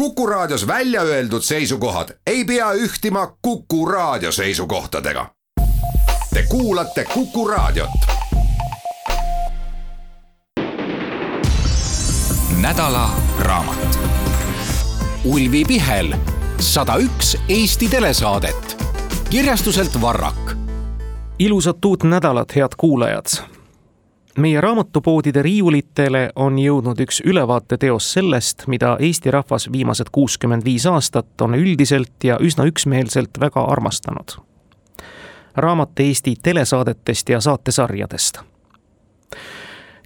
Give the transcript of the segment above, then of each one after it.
Kuku Raadios välja öeldud seisukohad ei pea ühtima Kuku Raadio seisukohtadega. Te kuulate Kuku Raadiot. Nädala raamat. Ulvi Pihel, 101 Eesti telesaadet. Kirjastuselt Varrak. Ilusat uut nädalat, head kuulajad! Meie raamatupoodide riiulitele on jõudnud üks ülevaateteos sellest, mida Eesti rahvas viimased 65 aastat on üldiselt ja üsna üksmeelselt väga armastanud. Raamat Eesti telesaadetest ja saatesarjadest.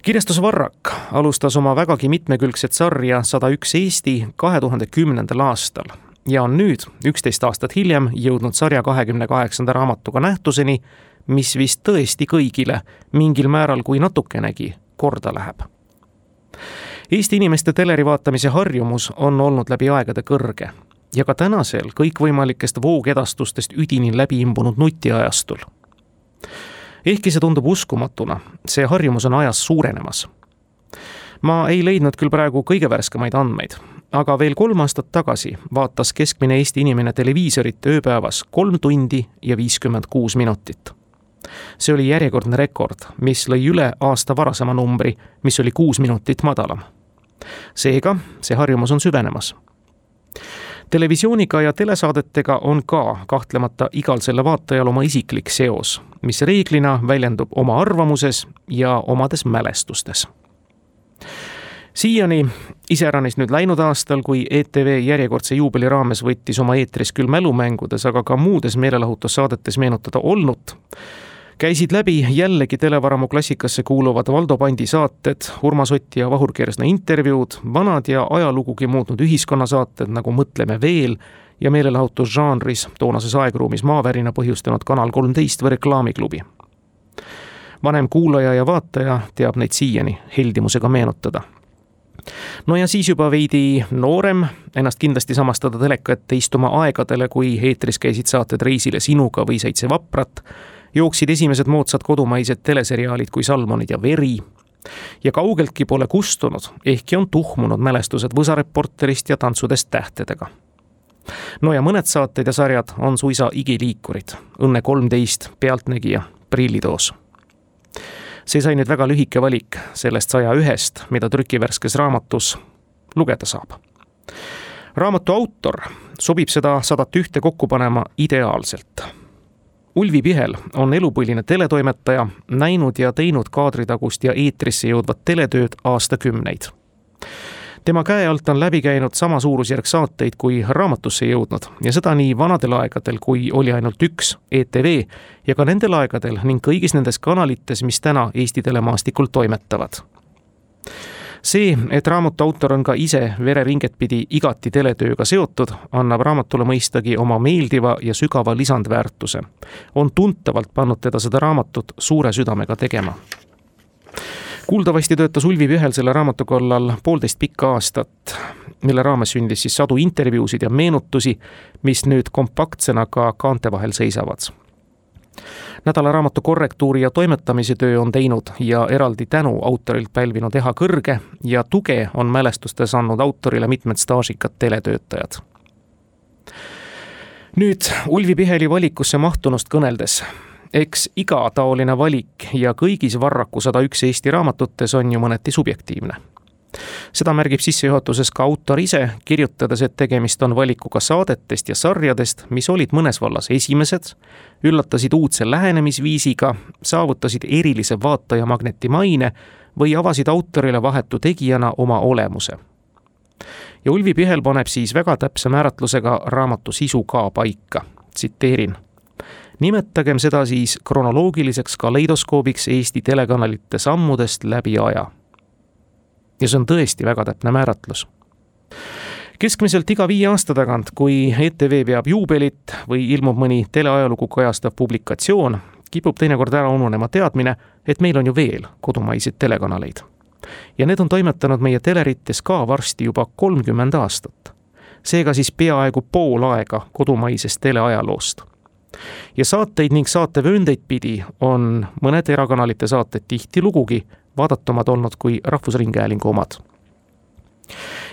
Kirjastus Varrak alustas oma vägagi mitmekülgset sarja 101 Eesti 2010. aastal ja on nüüd, 11 aastat hiljem, jõudnud sarja 28. raamatuga nähtuseni, mis vist tõesti kõigile mingil määral kui natukenegi korda läheb. Eesti inimeste teleri vaatamise harjumus on olnud läbi aegade kõrge ja ka tänasel kõikvõimalikest voogedastustest üdini läbi imbunud nutiajastul. Ehkki see tundub uskumatuna, see harjumus on ajas suurenemas. Ma ei leidnud küll praegu kõige värskemaid andmeid, aga veel 3 aastat tagasi vaatas keskmine Eesti inimene televiisorit ööpäevas 3 tundi ja 56 minutit. See oli järjekordne rekord, mis lõi üle aasta varasema numbri, mis oli 6 minutit madalam. Seega, see harjumus on süvenemas. Televisiooniga ja telesaadetega on ka kahtlemata igal selle vaatajal oma isiklik seos, mis reeglina väljendub oma arvamuses ja omades mälestustes. Siiani, iseäranis nüüd läinud aastal, kui ETV järjekordse juubeli raames võttis oma eetris küll mälumängudes, aga ka muudes meelelahutussaadetes meenutada olnut, käisid läbi jällegi televaramu klassikasse kuuluvad Valdo Pandi saated, Urmas Oti ja Vahur Kersna intervjuud, vanad ja ajalugugi muutnud ühiskonnasaated nagu Mõtleme veel ja meelelahutusžanris toonases aegruumis maavärina põhjustanud Kanal 13 või Reklaamiklubi. Vanem kuulaja ja vaataja teab neid siiani heldimusega meenutada. No ja siis juba veidi noorem, ennast kindlasti samastada teleka ette istuma aegadele, kui eetris käisid saated Reisile sinuga või 7 vaprat, jooksid esimesed moodsad kodumaised teleseriaalid kui Salmonid ja Veri ja kaugeltki pole kustunud, ehkki on tuhmunud mälestused Võsareporterist ja Tantsudest tähtedega. No ja mõned saated ja sarjad on suisa igiliikurid, Õnne 13, Pealtnägija, Prillitoos. See sai nüüd väga lühike valik sellest 101-st, mida trükivärskes raamatus lugeda saab. Raamatu autor sobib seda 101 kokku panema ideaalselt. Ulvi Pihel on elupõline teletoimetaja, näinud ja teinud kaadritagust ja eetrisse jõudvat teletööd aastakümneid. Tema käe alt on läbi käinud sama suurusjärg saateid kui raamatusse jõudnud ja seda nii vanadel aegadel, kui oli ainult üks ETV ja ka nendel aegadel ning kõigis nendes kanalites, mis täna Eesti telemaastikul toimetavad. See, et raamatu autor on ka ise vereringet pidi igati teletööga seotud, annab raamatule mõistagi oma meeldiva ja sügava lisandväärtuse. On tuntavalt pannud teda seda raamatut suure südamega tegema. Kuuldavasti töötas Ulvi Pihel selle raamatu kallal 1,5 pikka aastat, mille raames sündis siis sadu intervjuusid ja meenutusi, mis nüüd kompaktsena ka kaante vahel seisavad. Nädala raamatu korrektuuri ja toimetamise töö on teinud ja eraldi tänu autorilt pälvinud Eha Kõrge ja tuge on mälestustes andnud autorile mitmed staažikad teletöötajad. Nüüd Ulvi Piheli valikusse mahtunust kõneldes. Eks iga taoline valik ja kõigis Varraku 101 Eesti raamatutes on ju mõneti subjektiivne. Seda märgib sissejuhatuses ka autor ise, kirjutades, et tegemist on valikuga saadetest ja sarjadest, mis olid mõnes vallas esimesed, üllatasid uudse lähenemisviisiga, saavutasid erilise vaataja magneti maine või avasid autorile vahetu tegijana oma olemuse. Ja Ulvi Pihel paneb siis väga täpse määratlusega raamatu sisu ka paika. Tsiteerin. Nimetagem seda siis kronoloogiliseks kaleidoskoobiks Eesti telekanalite sammudest läbi aja. Ja see on tõesti väga täpne määratlus. Keskmiselt iga 5 aasta tagant, kui ETV peab juubelit või ilmub mõni teleajalugu kajastav publikatsioon, kipub teinekord ära ununema teadmine, et meil on ju veel kodumaiseid telekanaleid. Ja need on toimetanud meie telerites ka varsti juba 30 aastat. Seega siis peaaegu pool aega kodumaisest teleajaloost. Ja saateid ning saatevööndeid pidi on mõned erakanalite saated tihti lugugi vaadatumad olnud kui Rahvusringhäälingu omad.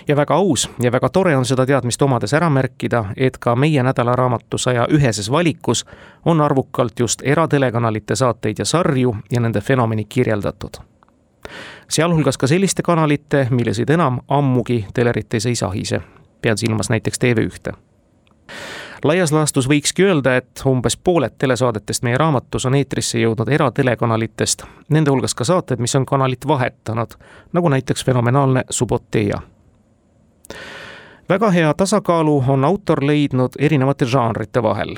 Ja väga aus ja väga tore on seda teadmist omades ära märkida, et ka meie nädalaraamatu 101 valikus on arvukalt just eratelekanalite saateid ja sarju ja nende fenomeni kirjeldatud. Sealhulgas ka selliste kanalite, millesid enam ammugi telerites ei sahise. Pean silmas näiteks TV1. Laias laastus võikski öelda, et umbes pooled telesaadetest meie raamatus on eetrisse jõudnud eratelekanalitest, nende hulgas ka saated, mis on kanalit vahetanud, nagu näiteks fenomenaalne Suboteja. Väga hea tasakaalu on autor leidnud erinevate žanrite vahel.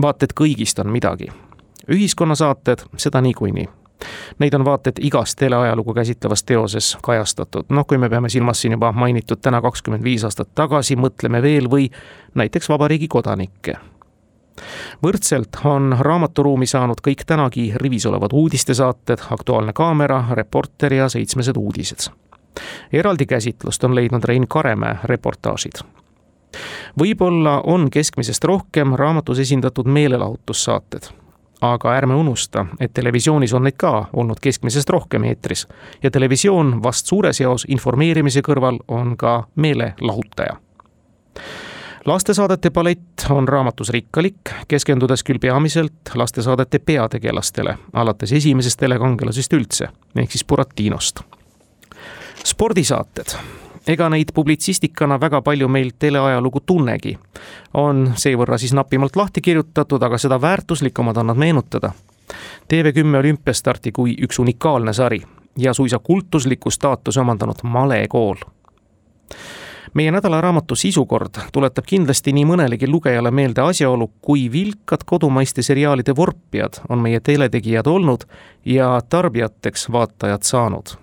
Vaat et kõigist on midagi. Ühiskonnasaated, seda niikuinii. Neid on vaat et igas teleajalugu käsitlevas teoses kajastatud. Kui me peame silmas siin juba mainitud täna 25 aastat tagasi, mõtleme veel või näiteks Vabariigi kodanikke. Võrdselt on raamaturuumi saanud kõik tänagi rivis olevad uudistesaated, Aktuaalne kaamera, Reporter ja 7 uudised. Eraldi käsitlust on leidnud Rein Karemäe reportaažid. Võib-olla on keskmisest rohkem raamatus esindatud meelelahutussaated. Aga ärme unusta, et televisioonis on neid ka olnud keskmisest rohkem eetris ja televisioon vast suures jaos informeerimise kõrval on ka meelelahutaja. Lastesaadete palett on raamatus rikkalik, keskendudes küll peamiselt lastesaadete peategelastele, alates esimesest telekangelasest üldse, ehk siis Buratinost. Spordisaated. Ega neid publitsistikana väga palju meil teleajalugu tunnegi. On seevõrra siis napimalt lahti kirjutatud, aga seda väärtuslikumad on nad meenutada. TV10 olümpiastarti kui üks unikaalne sari ja suisa kultusliku staatuse omandanud malekool. Meie nädalaraamatu sisukord tuletab kindlasti nii mõnelegi lugejale meelde asjaolu, kui vilkad kodumaiste seriaalide vorpijad on meie teletegijad olnud ja tarbijateks vaatajad saanud.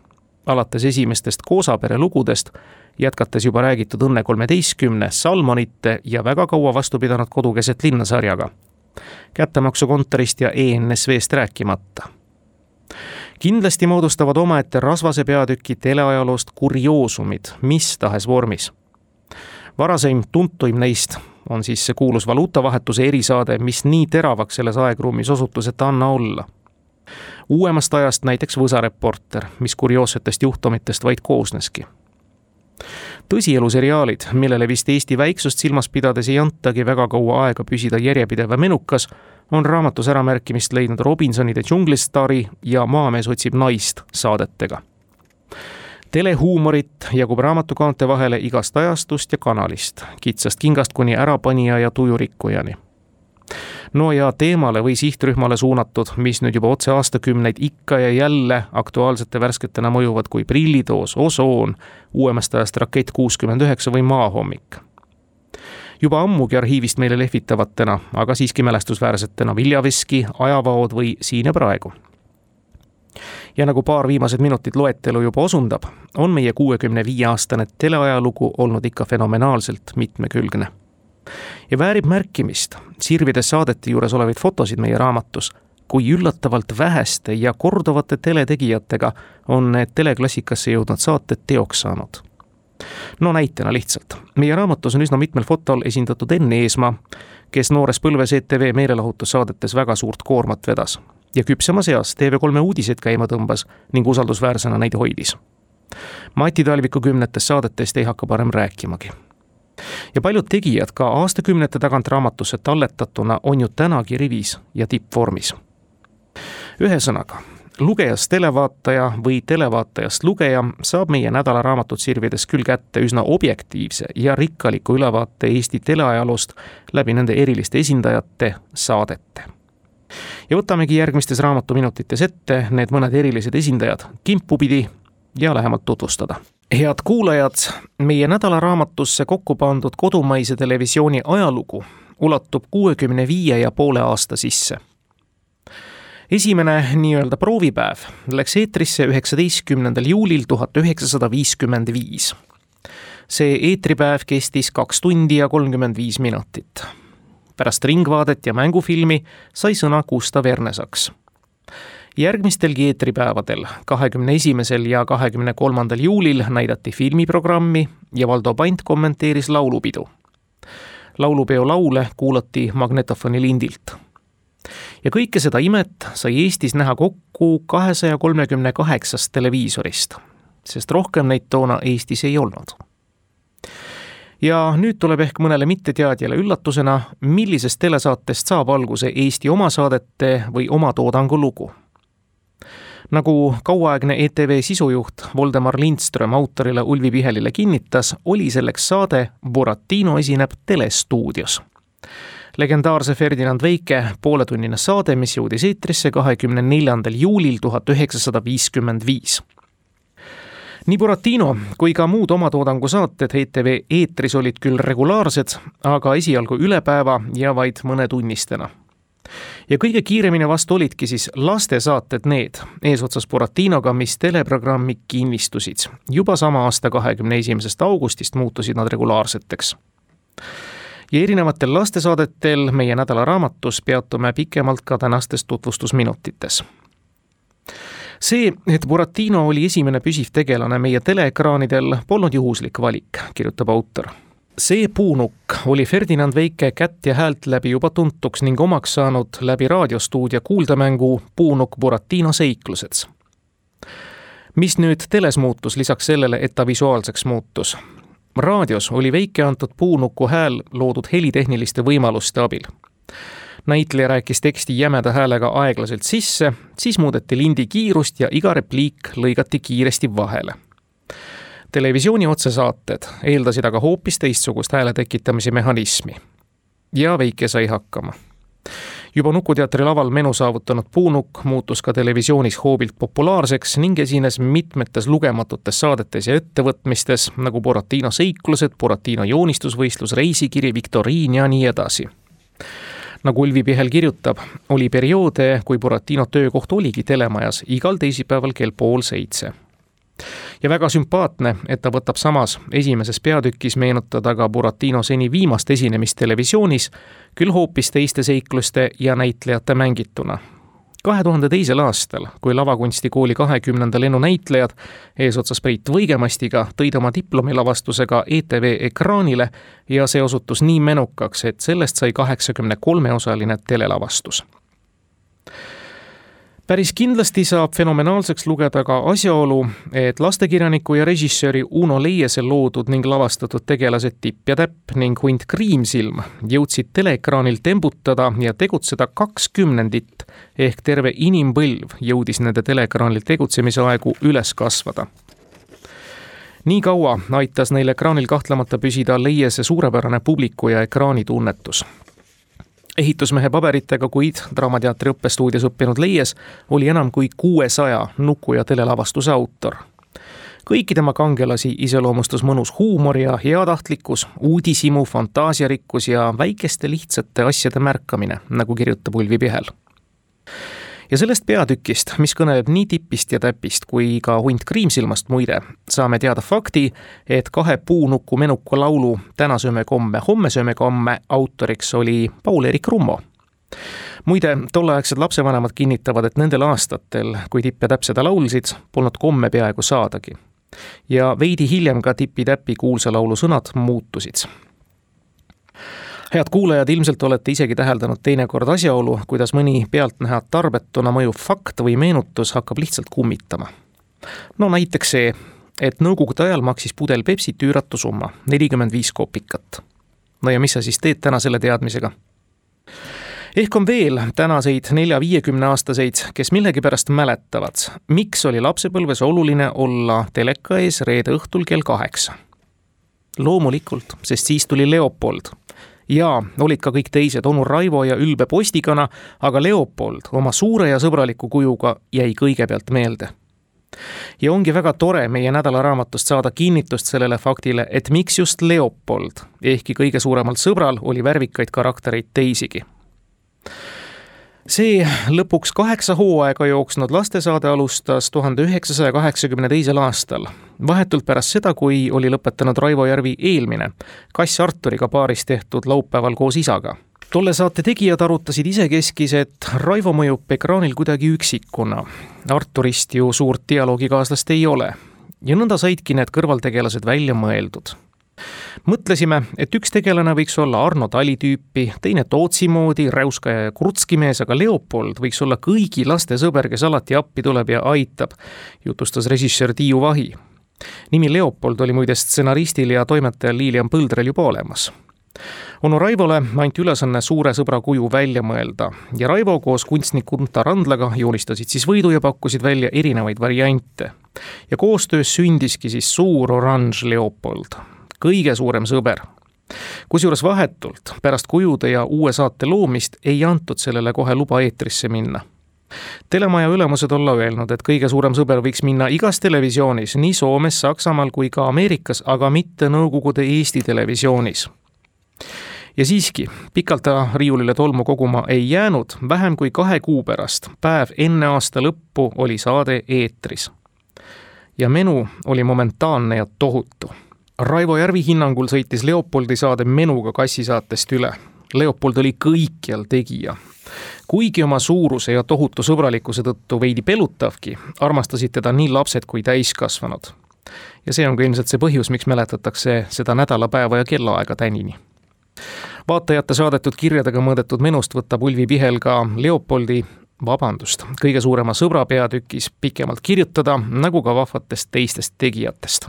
Alates esimestest Koosapere lugudest, jätkates juba räägitud Õnne 13, Salmonite ja väga kaua vastu pidanud Kodukeset linna sarjaga. Kättemaksukontorist ja ENSV-st rääkimata. Kindlasti moodustavad omaette rasvase peatüki teleajaloost kurioosumid, mis tahes vormis. Varaseim tuntuim neist on siis see kuulus valuutavahetuse erisaade, mis nii teravaks selles aegruumis osutus, et anna olla. Uuemast ajast näiteks Võsareporter, mis kurioossetest juhtumitest vaid koosneski. Tõsieluseriaalid, millele vist Eesti väiksust silmas pidades ei antagi väga kaua aega püsida järjepideva menukas, on raamatus äramärkimist leidnud Robinsonide džunglistari ja Maamees otsib naist saadetega. Telehuumorit jagub raamatukaante vahele igast ajastust ja kanalist, kitsast kingast kuni ärapanija ja tujurikkujani. No ja teemale või sihtrühmale suunatud, mis nüüd juba otse aastakümneid ikka ja jälle aktuaalsete värsketena mõjuvad kui Prillitoos, Osoon, uuemast ajast Rakett 69 või Maahommik. Juba ammugi arhiivist meile lehvitavatena, aga siiski mälestusväärsetena Viljaveski, Ajavaod või Siin ja praegu. Ja nagu paar viimased minutit loetelu juba osundab, on meie 65-aastane teleajalugu olnud ikka fenomenaalselt mitmekülgne. Ja väärib märkimist, sirvides saadete juures olevaid fotosid meie raamatus, kui üllatavalt väheste ja korduvate teletegijatega on need teleklassikasse jõudnud saated teoks saanud. No näitena lihtsalt. Meie raamatus on üsna mitmel fotol esindatud Enn Eesmaa, kes noores põlves ETV meelelahutussaadetes väga suurt koormat vedas ja küpsemas eas TV3 uudiseid käima tõmbas ning usaldusväärsena neid hoidis. Mati Talviku 10 saadetest ei hakka parem rääkimagi. Ja paljud tegijad ka aastakümnete tagant raamatusse talletatuna on ju tänagi rivis ja tippvormis. Ühesõnaga, lugejast televaataja või televaatajast lugeja saab meie nädalaraamatut sirvides küll kätte üsna objektiivse ja rikkaliku ülevaate Eesti teleajaloost läbi nende eriliste esindajate saadete. Ja võtamegi järgmistes raamatuminutites ette need mõned erilised esindajad kimpupidi ja lähemalt tutvustada. Head kuulajad, meie nädalaraamatusse kokku pandud kodumaise televisiooni ajalugu ulatub 65,5 aasta sisse. Esimene nii-öelda proovipäev läks eetrisse 19. juulil 1955. See eetripäev kestis 2 tundi ja 35 minutit. Pärast ringvaadet ja mängufilmi sai sõna Gustav Ernesaks. Järgmistelgi eetripäevadel, 21. ja 23. juulil näidati filmiprogrammi ja Valdo Pant kommenteeris laulupidu. Laulupeo laule kuulati magnetofoni lindilt. Ja kõike seda imet sai Eestis näha kokku 238 televiisorist. sest rohkem neid toona Eestis ei olnud. Ja nüüd tuleb ehk mõnele mitteteadjale üllatusena, millisest telesaatest saab alguse Eesti omasaadete või oma toodangu lugu. Nagu kauaaegne ETV sisujuht Voldemar Lindström autorile Ulvi Pihelile kinnitas, oli selleks saade Buratino esineb telestuudios. Legendaarse Ferdinand Veike pooletunnine saade, mis jõudis eetrisse 24. juulil 1955. Nii Buratino kui ka muud omatoodangu saated ETV eetris olid küll regulaarsed, aga esialgu üle päeva ja vaid mõnetunnistena. Ja kõige kiiremini vastu olidki siis lastesaated need, eesotsas Buratinoga, mis teleprogrammi kinnistusid. Juba sama aasta 21. augustist muutusid nad regulaarseteks. Ja erinevatel lastesaadetel meie nädalaraamatus peatume pikemalt ka tänastes tutvustusminutites. See, et Buratino oli esimene püsiv tegelane meie teleekraanidel, polnud juhuslik valik, kirjutab autor. See puunukk oli Ferdinand Veike kätt ja häält läbi juba tuntuks ning omaks saanud läbi raadiostuudia kuuldamängu Puunukk Buratino seiklused. Mis nüüd teles muutus lisaks sellele, et ta visuaalseks muutus? Raadios oli Veike antud puunuku hääl loodud helitehniliste võimaluste abil. Näitleja rääkis teksti jämeda häälega aeglaselt sisse, siis muudeti lindi kiirust ja iga repliik lõigati kiiresti vahele. Televisiooni otsesaated eeldasid aga hoopis teistsugust hääle tekitamise mehhanismi. Ja Veike sai hakkama. Juba Nukuteatri laval menu saavutanud puunukk muutus ka televisioonis hoobilt populaarseks ning esines mitmetes lugematutes saadetes ja ettevõtmistes, nagu Buratino seiklused, Buratino joonistusvõistlus, reisikiri, viktoriin ja nii edasi. Nagu Ulvi Pihel kirjutab, oli perioode, kui Buratino töökoht oligi telemajas igal teisipäeval kell 6:30. Ja väga sümpaatne, et ta võtab samas esimeses peatükis meenutada ka Buratino seni viimast esinemist televisioonis, küll hoopis teiste seikluste ja näitlejate mängituna. 2002. aastal, kui lavakunstikooli 20. lennunäitlejad eesotsas Priit Võigemastiga tõid oma diplomilavastusega ETV ekraanile ja see osutus nii menukaks, et sellest sai 83-osaline telelavastus. Päris kindlasti saab fenomenaalseks lugeda ka asjaolu, et lastekirjaniku ja režissööri Uno Leiese loodud ning lavastatud tegelased Tipp ja Täpp ning Hunt Kriimsilm jõudsid teleekraanil tembutada ja tegutseda 20 ehk terve inimpõlv jõudis nende teleekraanil tegutsemise aegu üles kasvada. Nii kaua aitas neil ekraanil kahtlemata püsida Leiese suurepärane publiku ja ekraanitunnetus. Ehitusmehe paberitega, kuid Draamateatri õppestuudios õppinud Leies oli enam kui 600 nuku- ja telelavastuse autor. Kõiki tema kangelasi iseloomustus mõnus huumor ja heatahtlikkus, uudishimu, fantaasiarikkus ja väikeste lihtsate asjade märkamine, nagu kirjutab Ulvi Pihel. Ja sellest peatükist, mis kõneleb nii Tippist ja Täpist kui ka Hunt Kriimsilmast muide, saame teada fakti, et 2 puunuku menuka laulu Täna sööme komme, homme sööme komme autoriks oli Paul-Eerik Rummo. Muide, tolleaegsed lapsevanemad kinnitavad, et nendel aastatel, kui Tipp ja Täpp seda laulsid, polnud komme peaaegu saadagi. Ja veidi hiljem ka Tipi-Täpi kuulsa laulu sõnad muutusid. Head kuulajad, ilmselt olete isegi täheldanud teinekord asjaolu, kuidas mõni pealtnäha tarbetuna mõjuv fakt või meenutus hakkab lihtsalt kummitama. No näiteks see, et nõukogude ajal maksis pudel Pepsit üüratu summa, 45 kopikat. No ja mis sa siis teed täna selle teadmisega? Ehk on veel tänaseid 4-50 aastaseid, kes millegipärast mäletavad, miks oli lapsepõlves oluline olla teleka ees reede õhtul kell 8. Loomulikult, sest siis tuli Leopold. Ja olid ka kõik teised, onu Raivo ja Ülbe Postikana, aga Leopold oma suure ja sõbraliku kujuga jäi kõigepealt meelde. Ja ongi väga tore meie nädalaraamatust saada kinnitust sellele faktile, et miks just Leopold, ehkki kõige suuremalt sõbral oli värvikaid karaktereid teisigi. See lõpuks 8 hooaega jooksnud lastesaade alustas 1982. aastal, vahetult pärast seda, kui oli lõpetanud Raivo Järvi eelmine, Kass Arturiga paaris tehtud Laupäeval koos isaga. Tolle saate tegijad arutasid isekeskis, et Raivo mõjub ekraanil kuidagi üksikuna. Arturist ju suurt dialoogikaaslast ei ole. Ja nõnda saidki need kõrvaltegelased välja mõeldud. Mõtlesime, et üks tegelane võiks olla Arno Tali tüüpi, teine Tootsi moodi, räuskaja ja krutskimees, aga Leopold võiks olla kõigi laste sõber, kes alati appi tuleb ja aitab, jutustas režissöör Tiiu Vahi. Nimi Leopold oli muide stsenaristil ja toimetajal Lilian Põldrel juba olemas. Onu Raivole anti ülesanne suure sõbra kuju välja mõelda ja Raivo koos kunstnik Unta Randlaga joonistasid siis võidu ja pakkusid välja erinevaid variante. Ja koostöös sündiski siis suur oranž Leopold, kõige suurem sõber. Kusjuures vahetult pärast kujude ja uue saate loomist ei antud sellele kohe luba eetrisse minna. Telemaja ülemused olla öelnud, et kõige suurem sõber võiks minna igas televisioonis, nii Soomes, Saksamaal kui ka Ameerikas, aga mitte Nõukogude Eesti televisioonis. Ja siiski, pikalt ta riiulile tolmu koguma ei jäänud, vähem kui 2 kuu pärast, päev enne aasta lõppu oli saade eetris. Ja menu oli momentaanne ja tohutu. Raivo Järvi hinnangul sõitis Leopoldi saade menuga kassisaatest üle. Leopold oli kõikjal tegija. Kuigi oma suuruse ja tohutu sõbralikkuse tõttu veidi pelutavki, armastasid teda nii lapsed kui täiskasvanud. Ja see on ka ilmselt see põhjus, miks mäletatakse seda nädalapäeva ja kellaaega tänini. Vaatajate saadetud kirjadega mõõdetud menust võtab Ulvi Pihel ka Leopoldi, kõige suurema sõbra peatükis pikemalt kirjutada, nagu ka vahvatest teistest tegijatest.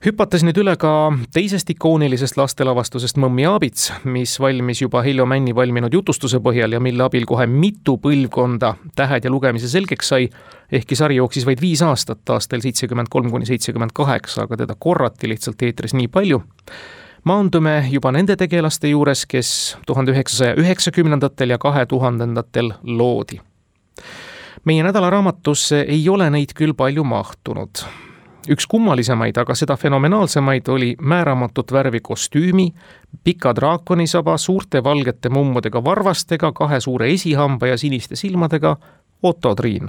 Hüpates nüüd üle ka teisest ikoonilisest lastelavastusest Mõmmi Aabits, mis valmis juba Heljo Männi valminud jutustuse põhjal ja mille abil kohe mitu põlvkonda tähed ja lugemise selgeks sai, ehkki sari jooksis vaid 5 aastat aastal 73–78, aga teda korrati lihtsalt eetris nii palju. Maandume juba nende tegelaste juures, kes 1990-ndatel ja 2000-ndatel loodi. Meie nädalaraamatusse ei ole neid küll palju mahtunud. Üks kummalisemaid, aga seda fenomenaalsemaid oli määramatut värvi kostüümi, pika draakonisaba, suurte valgete mummudega varvastega, 2 suure esihamba ja siniste silmadega Otto Triin.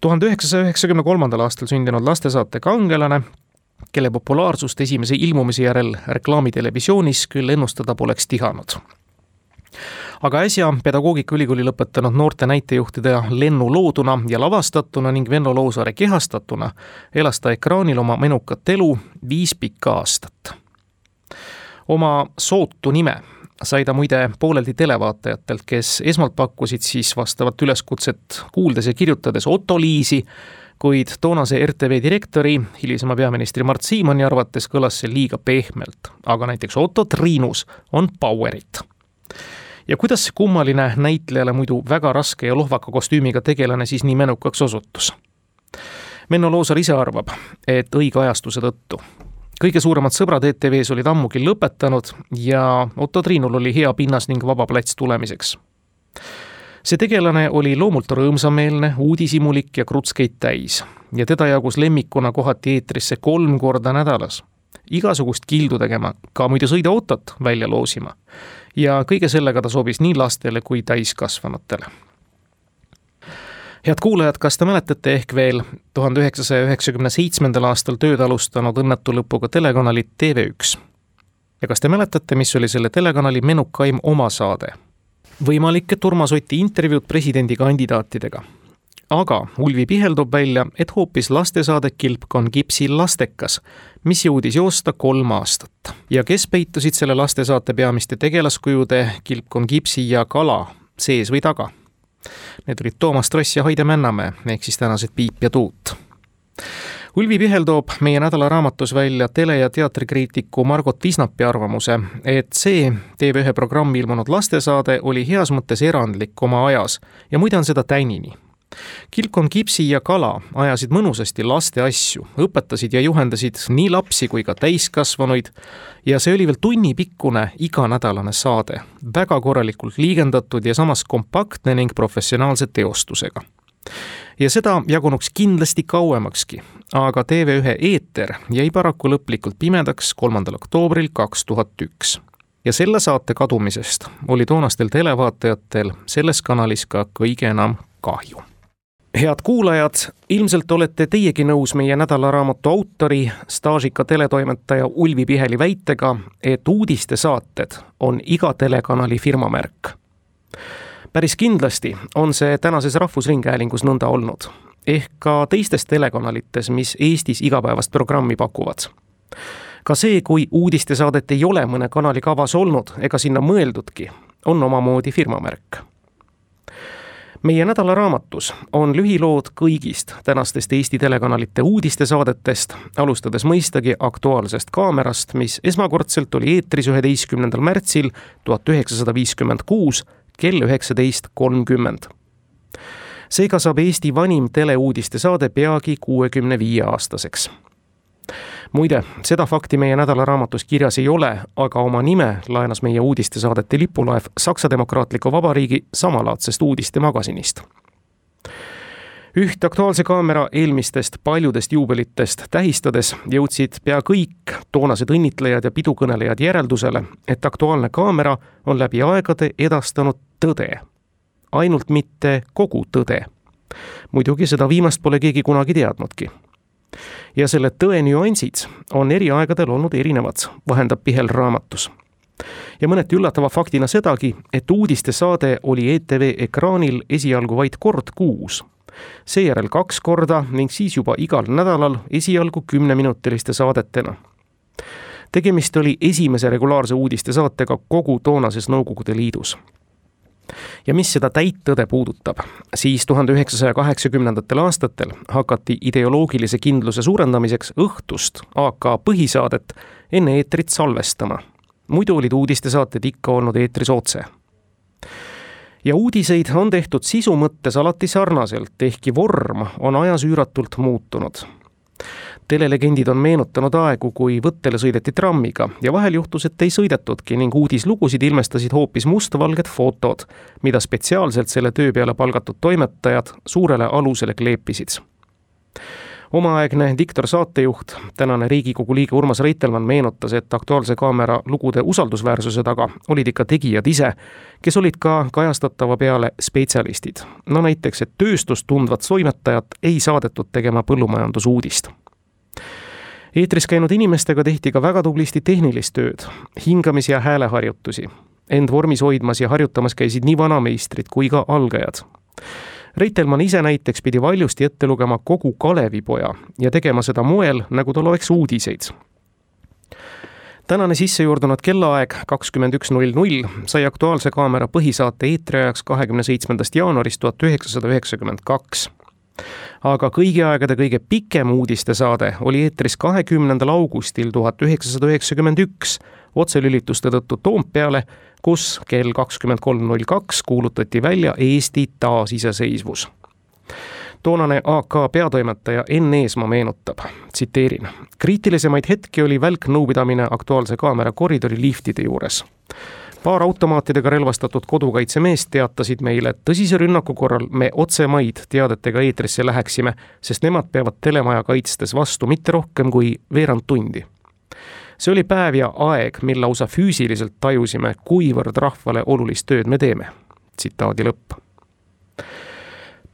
1993. aastal sündinud lastesaate kangelane, kelle populaarsust esimese ilmumise järel reklaamitelevisionis küll ennustada poleks tihanud. Aga äsja Pedagoogikaülikooli lõpetanud noorte näitejuhtide Lennu looduna ja lavastatuna ning Venno Loosaare kehastatuna elas ta ekraanil oma menukat elu 5 pikka aastat. Oma sootu nime sai ta muide pooleldi televaatajatelt, kes esmalt pakkusid siis vastavat üleskutset kuuldes ja kirjutades Otto Liisi, kuid toonase RTV direktori, hilisema peaministri Mart Siimoni arvates kõlas see liiga pehmelt, aga näiteks Otto Triinus on powerit. Ja kuidas see kummaline näitlejale muidu väga raske ja lohvaka kostüümiga tegelane siis nii menukaks osutus? Venno Loosaar ise arvab, et õige ajastuse tõttu. Kõige suuremad sõbrad ETV-s olid ammugi lõpetanud ja Otto Triinul oli hea pinnas ning vaba plats tulemiseks. See tegelane oli loomult rõõmsameelne, uudisimulik ja krutskeid täis ja teda jagus lemmikuna kohati eetrisse 3 korda nädalas. Igasugust kildu tegema, ka muidu sõidaautot välja loosima. Ja kõige sellega ta sobis nii lastele kui täiskasvanutele. Head kuulajad, kas te mäletate ehk veel 1997. aastal tööd alustanud õnnetu lõpuga telekanalit TV1? Ja kas te mäletate, mis oli selle telekanali menukaim omasaade? Võimalik, et Urmas Oti intervjuud presidendikandidaatidega. Aga Ulvi Pihel toob välja, et hoopis lastesaade Kilpkon Kipsi lastekas, mis jõudis joosta 3 aastat. Ja kes peitusid selle lastesaate peamiste tegelaskujude Kilpkon Kipsi ja Kala sees või taga? Need olid Toomas Tross ja Haide Männamäe, ehk siis tänased Piip ja Tuut. Ulvi Pihel toob meie nädalaraamatus välja tele- ja teatrikriitiku Margot Visnapi arvamuse, et see TV1 programmi ilmunud lastesaade oli heas mõttes erandlik oma ajas ja muide on seda tänini. Kilpkon Kipsi ja Kala ajasid mõnusasti laste asju, õpetasid ja juhendasid nii lapsi kui ka täiskasvanuid ja see oli veel tunnipikkune iganädalane saade, väga korralikult liigendatud ja samas kompaktne ning professionaalse teostusega. Ja seda jagunuks kindlasti kauemakski, aga TV1 eeter jäi paraku lõplikult pimedaks 3. oktoobril 2001. Ja selle saate kadumisest oli toonastel televaatajatel selles kanalis ka kõige enam kahju. Head kuulajad, ilmselt olete teiegi nõus meie nädalaraamatu autori, staažika teletoimetaja Ulvi Piheli väitega, et uudistesaated on iga telekanali firmamärk. Päris kindlasti on see tänases Rahvusringhäälingus nõnda olnud, ehk ka teistes telekanalites, mis Eestis igapäevast programmi pakuvad. Ka see, kui uudistesaadet ei ole mõne kanali kavas olnud ega sinna mõeldudki, on omamoodi firmamärk. Meie nädalaraamatus on lühilood kõigist tänastest Eesti telekanalite uudistesaadetest, alustades mõistagi Aktuaalsest kaamerast, mis esmakordselt oli eetris 11. märtsil 1956 kell 19.30. Seega saab Eesti vanim teleuudistesaade peagi 65-aastaseks. Muide, seda fakti meie nädalaraamatus kirjas ei ole, aga oma nime laenas meie uudistesaadete lipulaev Saksa Demokraatliku Vabariigi samalaadsest uudistemagasinist. Üht Aktuaalse kaamera eelmistest paljudest juubelitest tähistades jõudsid pea kõik toonased õnnitlejad ja pidukõnelejad järeldusele, et Aktuaalne kaamera on läbi aegade edastanud tõde. Ainult mitte kogu tõde. Muidugi seda viimast pole keegi kunagi teadnudki. Ja selle tõe nüansid on eri aegadel olnud erinevad, vahendab Pihel raamatus. Ja mõneti üllatava faktina sedagi, et uudistesaade oli ETV ekraanil esialgu vaid kord kuus. Seejärel 2 korda ning siis juba igal nädalal esialgu 10-minutiliste saadetena. Tegemist oli esimese regulaarse uudistesaatega kogu toonases Nõukogude Liidus. Ja mis seda täittõde puudutab, siis 1980. aastatel hakati ideoloogilise kindluse suurendamiseks õhtust AK põhisaadet enne eetrit salvestama. Muidu olid uudistesaated ikka olnud eetris otse. Ja uudiseid on tehtud sisu mõttes alati sarnaselt, ehkki vorm on ajas üüratult muutunud. Telelegendid on meenutanud aegu, kui võttele sõideti trammiga ja vahel juhtus, et ei sõidetudki ning uudislugusid ilmestasid hoopis mustvalged fotod, mida spetsiaalselt selle töö peale palgatud toimetajad suurele alusele kleepisid. Omaaegne diktor saatejuht, tänane Riigikogu liige Urmas Reitelmann meenutas, et Aktuaalse kaamera lugude usaldusväärsuse taga olid ikka tegijad ise, kes olid ka kajastatava peale spetsialistid. No näiteks, et tööstust tundvat toimetajat ei saadetud tegema põllumajandusuudist. Eetris käinud inimestega tehti ka väga tublisti tehnilist tööd, hingamis- ja hääleharjutusi. End vormis hoidmas ja harjutamas käisid nii vanameistrid kui ka algajad. Reitelmann ise näiteks pidi valjusti ette lugema kogu Kalevipoja ja tegema seda moel, nagu tal oleks uudiseid. Tänane sissejuurdunud kellaaeg 21.00 sai Aktuaalse kaamera põhisaate eetriajaks 27. jaanuarist 1992. Aga kõigi aegade kõige pikem uudistesaade oli eetris 20. augustil 1991 otselülituste tõttu Toompeale, kus kell 23.02 kuulutati välja Eesti taasiseseisvus. Toonane AK peatoimetaja Enn Eesmaa meenutab, tsiteerin, kriitilisemaid hetki oli välknõupidamine Aktuaalse kaamera koridori liftide juures. Paar automaatidega relvastatud kodukaitsemeest teatasid meile, et tõsise rünnaku korral me otsemaid teadetega eetrisse läheksime, sest nemad peavad telemaja kaitstes vastu mitte rohkem kui veerand tundi. See oli päev ja aeg, mil lausa füüsiliselt tajusime, kuivõrd rahvale olulist tööd me teeme. Tsitaadi lõpp.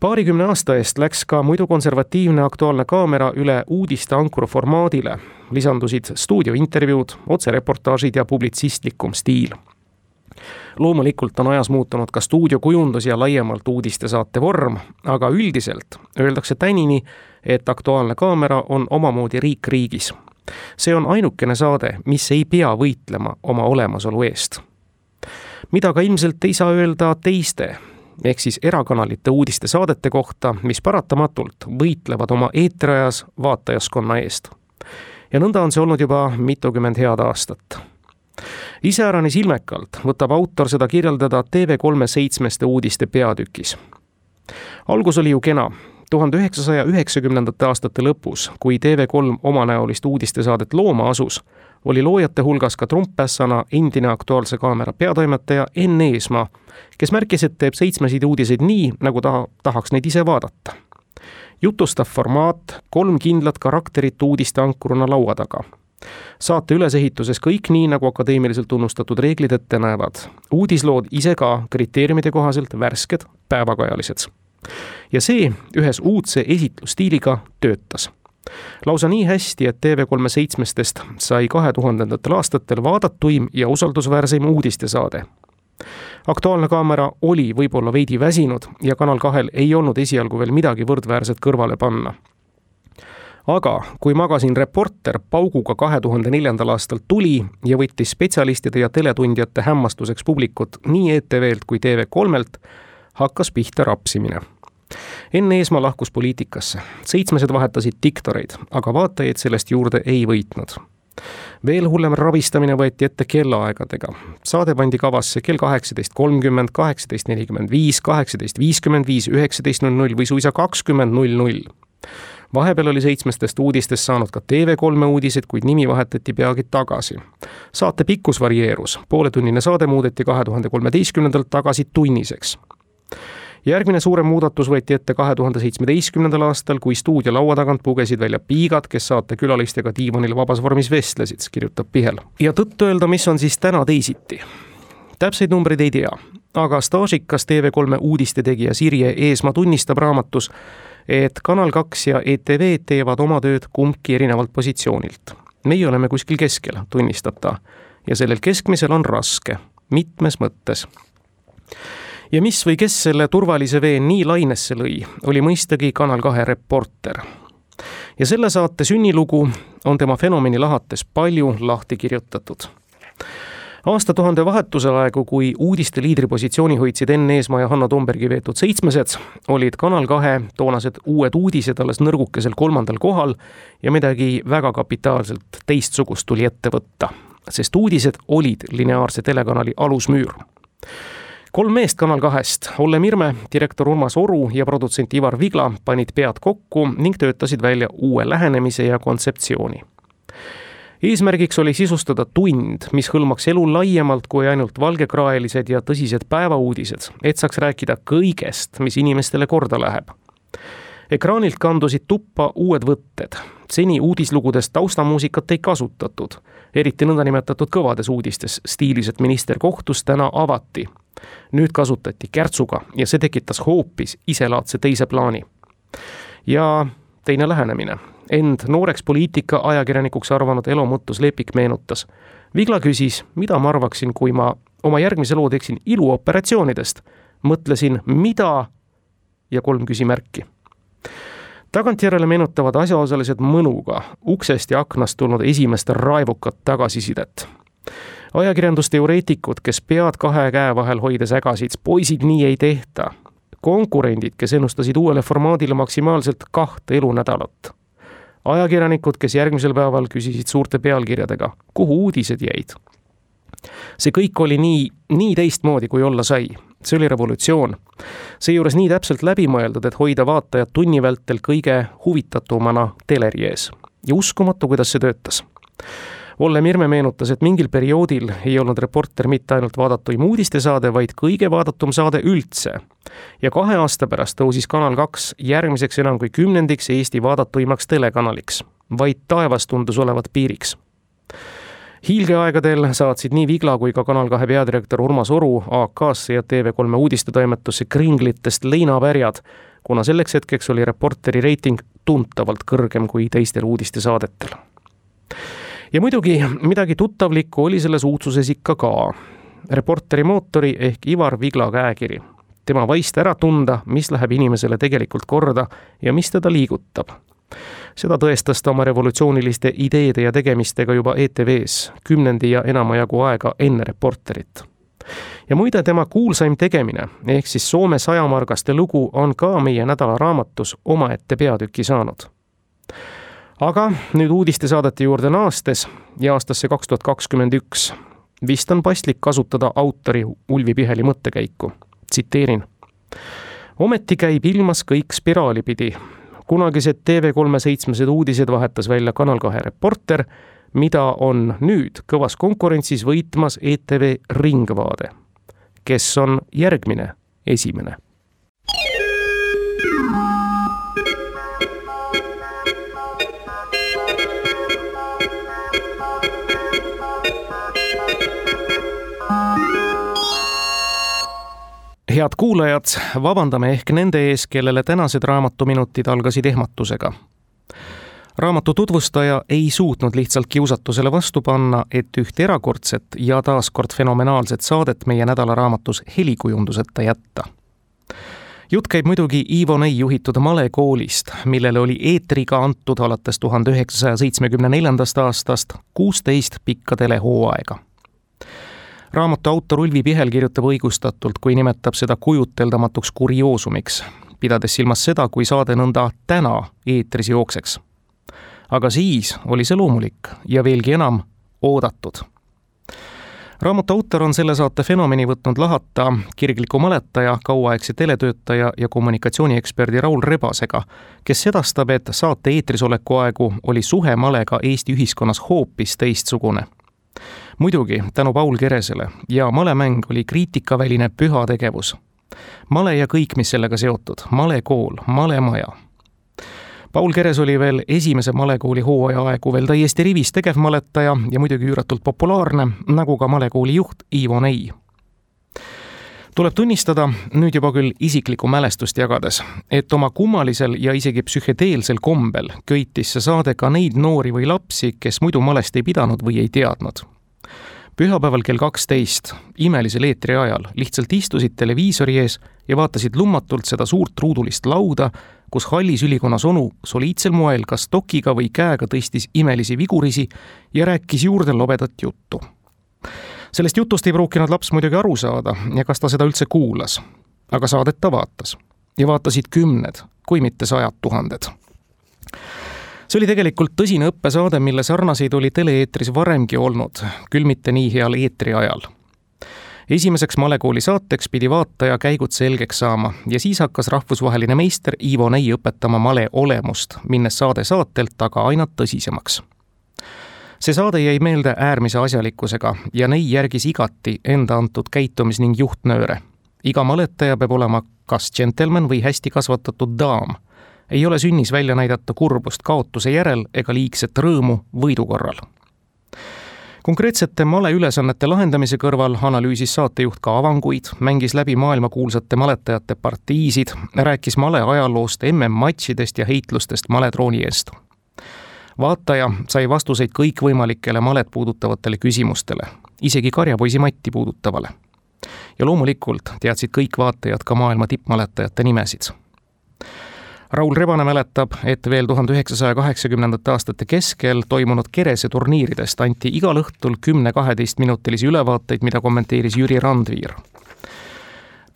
20 aasta eest läks ka muidu konservatiivne Aktuaalne kaamera üle uudiste ankru formaadile. Lisandusid stuudiointervjuud, otsereportaažid ja publitsistlikum stiil. Loomulikult on ajas muutunud ka stuudiokujundus ja laiemalt uudistesaate vorm, aga üldiselt öeldakse tänini, et Aktuaalne kaamera on omamoodi riik riigis. See on ainukene saade, mis ei pea võitlema oma olemasolu eest. Mida ka ilmselt ei saa öelda teiste, ehk siis erakanalite uudistesaadete kohta, mis paratamatult võitlevad oma eetriajas vaatajaskonna eest. Ja nõnda on see olnud juba mitukümmend head aastat. Iseäranis ilmekalt võtab autor seda kirjeldada TV3 7 uudiste peatükis. Algus oli ju kena. 1990. aastate lõpus, kui TV3 omanäolist uudistesaadet looma asus, oli loojate hulgas ka trumppässana endine Aktuaalse kaamera peatoimetaja Enn Eesmaa, kes märkis, et teeb 7 uudiseid nii, nagu tahaks neid ise vaadata. Jutustav formaat, 3 kindlat karakterit uudiste ankuruna laua taga. Saate ülesehituses kõik nii, nagu akadeemiliselt tunnustatud reeglid ette näevad. Uudislood ise ka kriteeriumide kohaselt värsked, päevakajalised. Ja see ühes uudse esitlustiiliga töötas. Lausa nii hästi, et TV3 7 sai 2000. aastatel vaadatuim ja usaldusväärseim uudistesaade. Aktuaalne kaamera oli võib-olla veidi väsinud ja Kanal 2 ei olnud esialgu veel midagi võrdväärset kõrvale panna. Aga kui magasin Reporter pauguga 2004. aastal tuli ja võttis spetsialistide ja teletundjate hämmastuseks publikut nii ETV-lt kui TV3-lt, hakkas pihta rapsimine. Enn Eesmaa lahkus poliitikasse, 7 vahetasid diktoreid, aga vaatajaid sellest juurde ei võitnud. Veel hullem rabistamine võeti ette kellaaegadega. Saade pandi kavasse kell 18.30, 18.45, 18.55, 19.00 või suisa 20.00. Vahepeal oli 7 uudistest saanud ka TV3 uudised, kuid nimi vahetati peagi tagasi. Saate pikkus varieerus, pooletunnine saade muudeti 2013. tagasi tunniseks. Järgmine suurem muudatus võeti ette 2017. aastal, kui stuudio laua tagant pugesid välja piigad, kes saate külalistega diivanil vabas vormis vestlesid, kirjutab Pihel. Ja tõtt öelda, mis on siis täna teisiti? Täpseid numbreid ei tea, aga staažikas TV3 uudiste tegija Sirje Eesmaa tunnistab raamatus, et Kanal 2 ja ETV teevad oma tööd kumbki erinevalt positsioonilt. Meie oleme kuskil keskel, tunnistab ta, ja sellel keskmisel on raske, mitmes mõttes. Ja mis või kes selle turvalise vee nii lainesse lõi, oli mõistagi Kanal 2 reporter. Ja selle saate sünnilugu on tema fenomeni lahates palju lahti kirjutatud. Aastatuhande vahetuse aegu, kui uudiste liidripositsiooni hoidsid Enn Eesmaa ja Hanno Tombergi veetud 7, olid Kanal 2 toonased uued uudised alles nõrgukesel 3. kohal ja midagi väga kapitaalselt teistsugust tuli ette võtta, sest uudised olid lineaarse telekanali alusmüür. 3 meest Kanal 2-st, Olle Mirme, direktor Urmas Oru ja produtsent Ivar Vigla panid pead kokku ning töötasid välja uue lähenemise ja kontseptsiooni. Eesmärgiks oli sisustada tund, mis hõlmaks elu laiemalt kui ainult valgekraelised ja tõsised päevauudised, et saaks rääkida kõigest, mis inimestele korda läheb. Ekraanilt kandusid tuppa uued võtted. Seni uudislugudest taustamuusikat ei kasutatud, eriti nõndanimetatud kõvades uudistes, stiilis, et minister kohtus, täna avati. Nüüd kasutati kärtsuga ja see tekitas hoopis iselaadse teise plaani. Ja teine lähenemine. End nooreks poliitika ajakirjanikuks arvanud Elo Mõttus Lepik meenutas. Vigla küsis, mida ma arvaksin, kui ma oma järgmise loo teeksin iluoperatsioonidest. Mõtlesin, mida ja 3 küsimärki. Tagantjärele meenutavad asjaosalised mõnuga uksest ja aknast tulnud esimest raevukat tagasisidet. Ajakirjandusteoreetikud, kes pead 2 käe vahel hoides ägasid, poisid nii ei tehta. Konkurendid, kes ennustasid uuele formaadile maksimaalselt 2 elunädalat. Ajakirjanikud, kes järgmisel päeval küsisid suurte pealkirjadega, kuhu uudised jäid. See kõik oli nii teistmoodi, kui olla sai. See oli revolutsioon. Seejuures nii täpselt läbimõeldud, et hoida vaatajad tunni vältel kõige huvitatumana teleri ees. Ja uskumatu, kuidas see töötas. Olle Mirme meenutas, et mingil perioodil ei olnud reporter mitte ainult vaadatuim uudistesaade, vaid kõige vaadatum saade üldse. Ja 2 aasta pärast tõusis Kanal 2 järgmiseks enam kui 10. Eesti vaadatuimaks telekanaliks. Vaid taevas tundus olevat piiriks. Hiilgeaegadel saatsid nii Vigla kui ka Kanal 2 peadirektor Urmas Oru AK-sse ja TV3 uudistetoimetusse kringlitest leinavärjad, kuna selleks hetkeks oli reporteri reiting tuntavalt kõrgem kui teistel uudistesaadetel. Ja muidugi midagi tuttavlikku oli selles uudsuses ikka ka. Reporteri mootori ehk Ivar Vigla käekiri. Tema vaist ära tunda, mis läheb inimesele tegelikult korda ja mis teda liigutab. Seda tõestas ta oma revolutsiooniliste ideede ja tegemistega juba ETV-s 10 ja enama jagu aega enne reporterit. Ja muide tema kuulsaim tegemine, ehk siis Soome 100 margaste lugu on ka meie nädala raamatus omaette peatüki saanud. Aga nüüd uudistesaadete juurde naastes ja aastasse 2021 vist on paslik kasutada autori Ulvi Piheli mõttekäiku. Tsiteerin. Ometi käib ilmas kõik spiraali pidi. Kunagised TV3 7 uudised vahetas välja Kanal 2 reporter, mida on nüüd kõvas konkurentsis võitmas ETV Ringvaade. Kes on järgmine esimene? Head kuulajad, vabandame ehk nende ees, kellele tänased raamatuminutid algasid ehmatusega. Raamatu tutvustaja ei suutnud lihtsalt kiusatusele vastu panna, et üht erakordset ja taaskord fenomenaalset saadet meie nädalaraamatus helikujunduseta jätta. Jutt käib muidugi Ivo Nei juhitud Male koolist, millele oli eetriga antud alates 1974. aastast 16 pikka telehooaega. Raamatu autor Ulvi Pihel kirjutab õigustatult, kui nimetab seda kujuteldamatuks kurioosumiks, pidades silmas seda, kui saade nõnda täna eetris jookseks. Aga siis oli see loomulik ja veelgi enam oodatud. Raamatu autor on selle saate fenomeni võtnud lahata kirgliku maletaja, kauaaegse teletöötaja ja kommunikatsiooni-eksperdi Raul Rebasega, kes sedastab, et saate eetrisoleku aegu oli suhe malega Eesti ühiskonnas hoopis teistsugune. Muidugi tänu Paul Keresele ja malemäng oli kriitikaväline püha tegevus. Male ja kõik, mis sellega seotud, malekool, malemaja. Paul Keres oli veel esimese malekooli hooaja aegu veel täiesti rivis tegevmaletaja ja muidugi üüratult populaarne, nagu ka malekooli juht Ivo Nei. Tuleb tunnistada, nüüd juba küll isiklikku mälestust jagades, et oma kummalisel ja isegi psühhedeelsel kombel köitis see saade ka neid noori või lapsi, kes muidu malest ei pidanud või ei teadnud. Pühapäeval kell 12, imelisel eetri ajal, lihtsalt istusid televiisori ees ja vaatasid lummatult seda suurt ruudulist lauda, kus hallis ülikonnas onu soliidsel moel kas tokiga või käega tõstis imelisi vigurisi ja rääkis juurde lobedat juttu. Sellest jutust ei pruukinud laps muidugi aru saada ja kas ta seda üldse kuulas, aga saadet ta vaatas. Ja vaatasid 10, kui mitte 100 000. See oli tegelikult tõsine õppesaade, mille sarnaseid oli tele-eetris varemgi olnud, küll mitte nii heal eetri ajal. Esimeseks malekooli saateks pidi vaataja käigud selgeks saama ja siis hakkas rahvusvaheline meister Ivo Nei õpetama male olemust, minnes saade saatelt aga aina tõsisemaks. See saade jäi meelde äärmise asjalikkusega ja Nei järgis igati enda antud käitumis- ning juhtnööre. Iga maletaja peab olema kas džentelmen või hästi kasvatatud daam. Ei ole sünnis välja näidata kurbust kaotuse järel ega liigset rõõmu võidu korral. Konkreetsete male ülesannete lahendamise kõrval analüüsis saatejuht ka avanguid, mängis läbi maailmakuulsate maletajate partiisid, rääkis male ajaloost, MM-matšidest ja heitlustest maletrooni eest. Vaataja sai vastuseid kõikvõimalikele malet puudutavatele küsimustele, isegi karjapoisi Matti puudutavale. Ja loomulikult teadsid kõik vaatajad ka maailma tippmaletajate nimesid. Raul Rebane mäletab, et veel 1980. aastate keskel toimunud Kerese turniiridest anti igal õhtul 10-12 minutilisi ülevaateid, mida kommenteeris Jüri Randviir.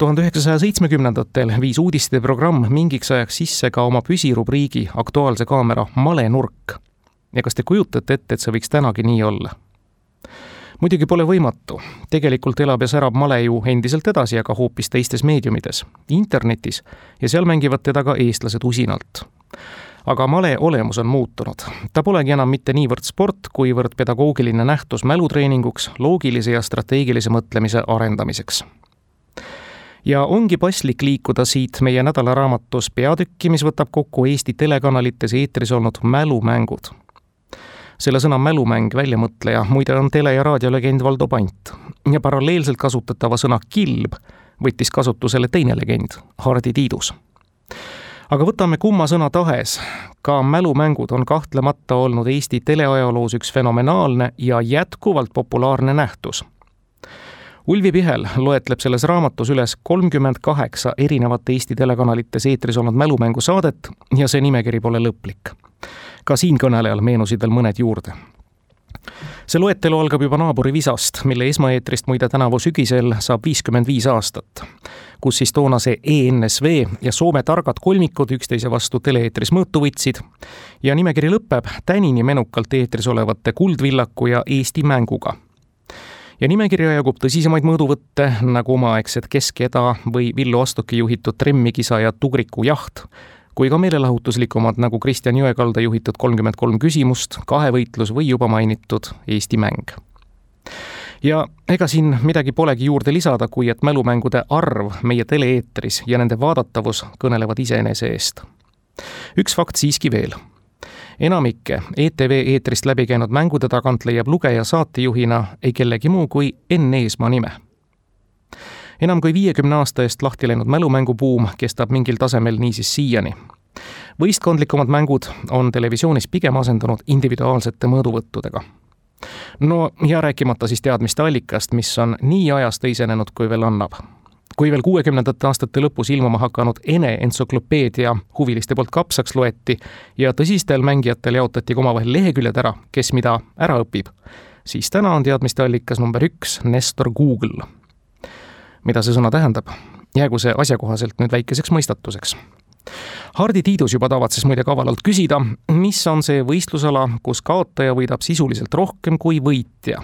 1970-ndatel viis uudiste programm mingiks ajaks sisse ka oma püsirubriigi Aktuaalse kaamera malenurk. Ja kas te kujutate ette, et see võiks tänagi nii olla? Muidugi pole võimatu. Tegelikult elab ja särab male ju endiselt edasi, aga hoopis teistes meediumides, internetis, ja seal mängivad teda ka eestlased usinalt. Aga male olemus on muutunud. Ta polegi enam mitte niivõrd sport, kuivõrd pedagoogiline nähtus mälutreeninguks, loogilise ja strateegilise mõtlemise arendamiseks. Ja ongi paslik liikuda siit meie nädalaraamatus peatükki, mis võtab kokku Eesti telekanalites eetris olnud mälumängud. Selle sõna mälumäng väljamõtleja muide on tele- ja raadiolegend Valdo Pant ja paralleelselt kasutatava sõna kilb võttis kasutusele teine legend, Hardi Tiidus. Aga võtame kumma sõna tahes, ka mälumängud on kahtlemata olnud Eesti teleajaloos üks fenomenaalne ja jätkuvalt populaarne nähtus. Ulvi Pihel loetleb selles raamatus üles 38 erinevat Eesti telekanalites eetris olnud mälumängusaadet ja see nimekiri pole lõplik. Ka siin kõnelejal meenusid veel mõned juurde. See loetelu algab juba naaburi Visast, mille esmaeetrist muide tänavu sügisel saab 55 aastat, kus siis toona see ENSV ja Soome targad kolmikud üksteise vastu tele-eetris mõõtu võtsid ja nimekiri lõpeb tänini menukalt eetris olevate Kuldvillaku ja Eesti mänguga. Ja nimekirja jagub tõsisemaid mõõduvõtte nagu omaaegsed Keskeda või Villu Astoki juhitud tremmikisa ja Tugriku jaht, kui ka meelelahutuslikumad nagu Kristjan Jõekalda juhitud 33 küsimust, kahevõitlus või juba mainitud Eesti mäng. Ja ega siin midagi polegi juurde lisada, kui et mälumängude arv meie tele-eetris ja nende vaadatavus kõnelevad iseenese eest. Üks fakt siiski veel. Enamikke ETV eetrist läbi käinud mängude tagant leiab lugeja saatejuhina ei kellegi muu kui Enn Eesmaa nime. Enam kui 50 aasta eest lahti läinud mälumängubuum kestab mingil tasemel niisiis siiani. Võistkondlikumad mängud on televisioonis pigem asendunud individuaalsete mõõduvõttudega. No ja rääkimata siis teadmiste allikast, mis on nii ajast teisenenud, kui veel annab. Kui veel 60. aastate lõpus ilmuma hakanud Ene entsüklopeedia huviliste poolt kapsaks loeti ja tõsistel mängijatel jaotati omavahel leheküljed ära, kes mida ära õpib, siis täna on teadmiste allikas number 1 Nestor Google. Mida see sõna tähendab? Jäägu see asjakohaselt nüüd väikeseks mõistatuseks. Hardi Tiidus juba tavatses muide kavalalt küsida, mis on see võistlusala, kus kaotaja võidab sisuliselt rohkem kui võitja.